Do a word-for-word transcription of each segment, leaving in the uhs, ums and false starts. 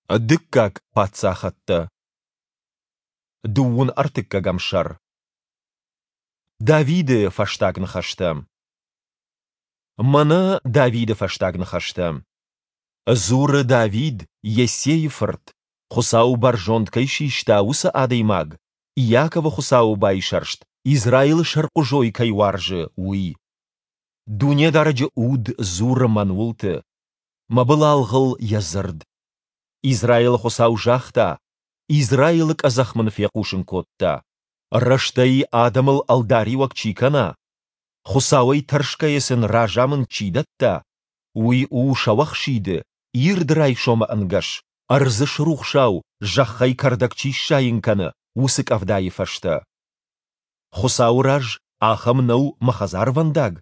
Дыккаг паддзахӕдтӕ. Дыууын ӕртыккӕгӕм сӕр. Давиды фӕстаг ныхӕстӕ. Мӕнӕ Давиды фӕстаг ныхӕстӕ. Дзуры Давид, Йессейы фырт, Хуыцау бӕрзонд кӕй систа, уыцы адӕймаг, Иаковы Хуыцауы байсӕрст, Израилы сӕрхъуызой кӕй уарзы, уый. Дунедарӕджы Уд дзуры мӕн уылты, мӕ былалгъыл Йӕ дзырд. Израилы Хуыцау загъта, Израилы къӕдзӕх мын фехъусын кодта: Рӕстӕй адӕмыл ӕлдариуӕг чи кӕна, Хуыцауӕй тӕрсгӕйӕ сын разамынд чи дӕтта, уый у сӕуӕхсиды, ирд райсомы ӕнгӕс, ӕрдзы срухсау зӕххӕй кӕрдӕг чи сзайын кӕны, уыцы къӕвдайы фӕстӕ. Хуыцауы раз ахӕм нӕу мӕ хӕдзарвӕндаг?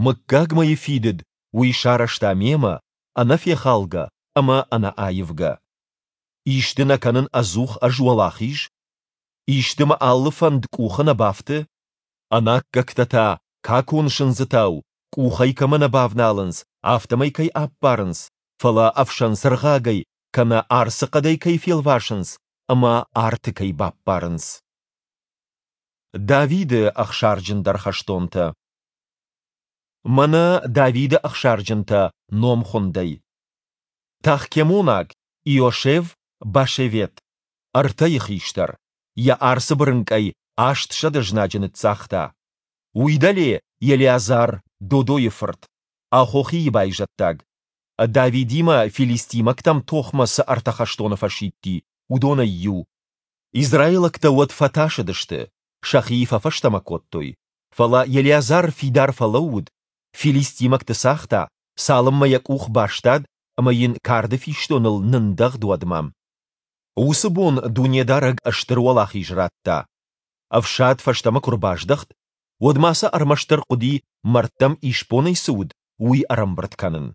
Мыггагмӕйы фидыд уый сарӕзта мемӕ, ӕнӕфехалгӕ ӕмӕ ӕнӕаивгӕ. Исты нӕ кӕнын ӕдзух ӕз уӕлахиз? Исты мӕ алы фӕнд къухы нӕ бафты? Ӕнаккӕгтӕ та, какон сындзытау, къухӕй кӕмӕ нӕ бавналынц, афтӕмӕй кӕй аппарынц, фӕлӕ ӕфсӕн цыргъагӕй кӕнӕ арцы хъӕдӕй кӕй фелвасынц ӕмӕ арты кӕй баппарынц. Давиды ӕхсарджындӕр хӕстонтӕ. Мӕнӕ Давиды ӕхсарджынтӕ номхуындӕй. Тахкемонаг Иошев Башевет, ӕртӕйы хистӕр, йӕ арцы бырынкъӕй аст сӕдӕ знаджы ныццагъта. Уый дӕле Елеазар, Додойы фырт, Ахохийы байзӕддаг. Давидимӕ филистимӕгтӕм тохмӕ цы ӕртӕ хӕстоны фӕсидти, уыдонӕй иу. Израилӕгтӕ уӕд фӕтасыдысты, сӕхи фӕфӕстӕмӕ кодтой. Фӕлӕ Елеазар фидар фӕлӕууыд, филистимӕгты цагъта, цалынмӕ йӕ къух бастад ӕмӕ йын карды фистоныл нындӕгъд, уӕдмӕ. Уыцы бон Дунедарӕг стыр уӕлахиз радта. Ӕфсад фӕстӕмӕ куы рбаздӕхт, уӕд ма сӕ ӕрмӕстдӕр хъуыди, мӕрдтӕм исбонӕй цы уыд, уый ӕрӕмбырд кӕнын.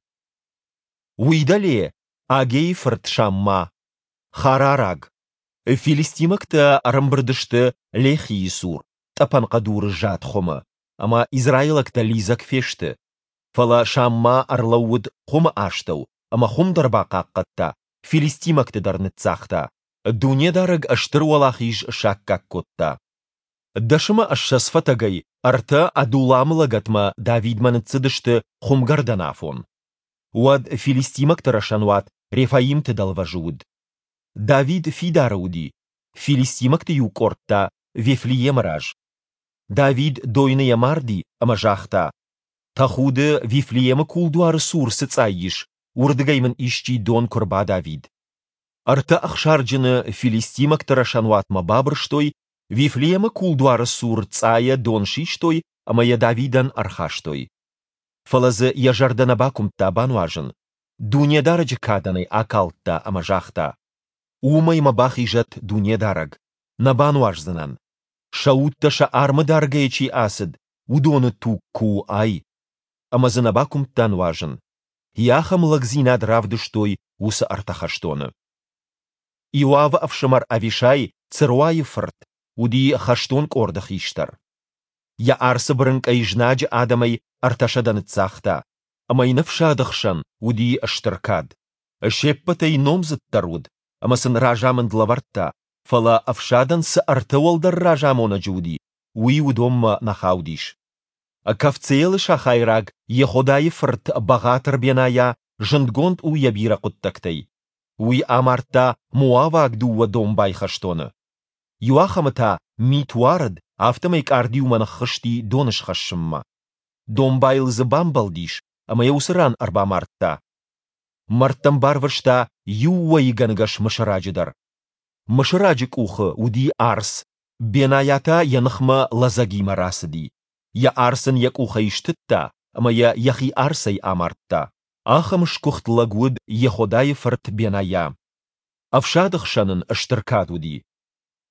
Уый дӕле Агейы фырт Шамма, харараг. Филистимӕгтӕ ӕрӕмбырд сты Лехийы цур, тъӕпӕн хъӕдуры зад хуымы, ӕмӕ израилӕгтӕ лидзӕг фесты. Фӕлӕ Шамма ӕрлӕууыд хуымы астӕу ӕмӕ хуым дӕр бахъахъхъӕдта, филистимӕгты дӕр ныццагъта. Дунедарӕг стыр уӕлахиз саккаг кодта. Дӕс ӕмӕ ссӕдз фӕтӕгӕй ӕртӕ Адулламы лӕгӕтмӕ Давидмӕ ныццыдысты хуымгӕрдӕн афон. Уӕд филистимӕгты рӕсӕнуат Рефаимты дӕлвӕзы уыд. Давид фидары уыди, филистимӕгты иу къорд та Вифлеемы раз. Давид дойныйӕ марди ӕмӕ загъта: Тӕхуды, Вифлеемы кулдуары цур цы цъай ис, уырдыгӕй мын исчи дон куы рбадавид. Ӕртӕ ӕхсарджыны филистимӕгты рӕсӕнуатмӕ бабырстой, Вифлеемы кулдуары цур цъайӕ дон систой ӕмӕ йӕ Давидӕн ӕрхастой. Фӕлӕ дзы йӕ зӕрдӕ нӕ бакуымдта бануазын, Дунедарӕджы кадӕн ӕй акалдта ӕмӕ загъта: Уымӕй мӕ бахизӕд Дунедарӕг, нӕ бануаздзынӕн. Сӕ удтӕ сӕ армы даргӕйӕ чи ацыд, уыдоны туг куы у ай. Ӕмӕ дзы нӕ бакуымдта нуазын. Йе ахӕм лӕгдзинад равдыстой уыцы ӕртӕ хӕстоны. Иоавы ӕфсымӕр Авишай, Церуайы фырт, уыди хӕстон къорды хистӕр. Йӕ арцы бырынкъӕй знаджы адӕмӕй ӕртӕсӕдӕ ныццагъта, ӕмӕ йын ӕфсады хсӕн уыди стыр кад. Се ппӕтӕй номдзыддӕр уыд, ӕмӕ сын разамынд лӕвӕрдта, фӕлӕ ӕфсадӕн цы ӕртӕ уӕлдӕр разамонӕджы уыди, уый уыдонмӕ нӕ хаудис. Кавцеелы сахайраг Йеходайы фырт бӕгъатыр Бенайа зындгонд у йӕ бирӕ хъуыддӕгтӕй. Уый амардта моаваг дыууӕ домбай хӕстоны. Иуахӕмы та мит уарыд, афтӕмӕй къардиумӕ ныххызти дон схӕссынмӕ. Домбайыл дзы бамбӕлдис ӕмӕ йӕ уыцы ран ӕрбамардта. Мӕрдтӕм барвыста иу уӕйыгӕнгӕс мысыраджы дӕр. Мысыраджы къухы уыди арц, Бенайа та йӕ ныхмӕ лӕдзӕгимӕ рацыди. Йӕ арц ын йӕ къухӕй стыдта ӕмӕ йӕ йӕхи арцӕй амардта. Ахӕм сгуыхт лӕг уыд Йеходайы фырт Бенайа. Ӕфсады хсӕн ын стыр кад уыди.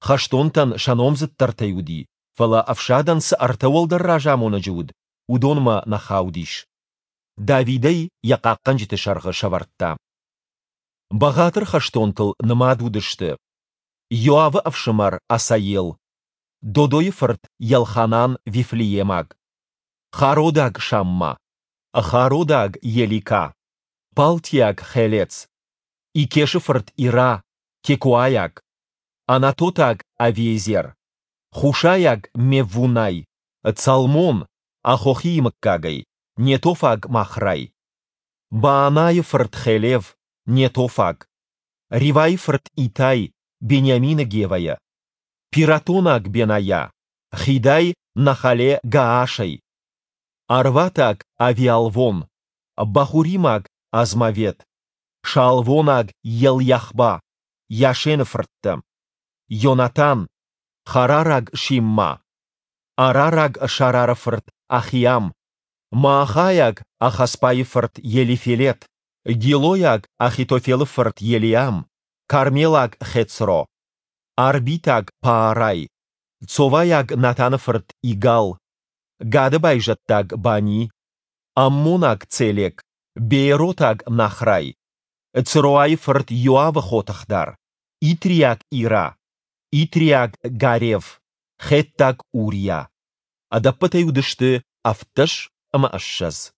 Хӕстонтӕн сӕ номдзыддӕртӕй уыди, фӕлӕ ӕфсадӕн цы ӕртӕ уӕлдӕр разамонӕджы уыд, уыдонмӕ нӕ хаудис. Давид ӕй йӕ хъахъхъӕнджыты сӕргъы сӕвӕрдта. Бӕгъатыр хӕстонтыл нымад уыдысты Иоавы ӕфсымӕр Асаел, Додойы фырт Елханан Вифлеемаг, Хародаг Шамма, Хародаг Елика, Палтиаг Хелец, Икешы фырт Ира, текоайаг, анатотаг Авиезер, хушайаг Мевунай, Цалмон, Ахохийы мыггагӕй, нетофаг Махрай, Баанайы фырт Хелев, нетофаг, Ривайы фырт Итай, Бениамины Гевӕйӕ, пиратонаг Бенайа, Хидай Нахале-Гаашӕй, арватаг Авиалвон, бахуримаг Азмавет, шаалвонаг Елйахба, Йашены фырттӕ, Йонатан, харараг Шимма, арараг Шарары фырт Ахиам, маахайаг Ахасбайы фырт Елифелет, гилойаг Ахитофелы фырт Елиам, кармелаг Хецро, арбитаг Паарай, цовайаг Натаны фырт Игал, Гады байзӕддаг Бани, аммонаг Целек, бееротаг Нахрай, Цроайы фырт Иоавы хотыхдар, итриаг Ира, итриаг Гарев, хеттаг Уриа. Ӕдӕппӕтӕй уыдысты ӕвддӕс ӕмӕ ссӕдз.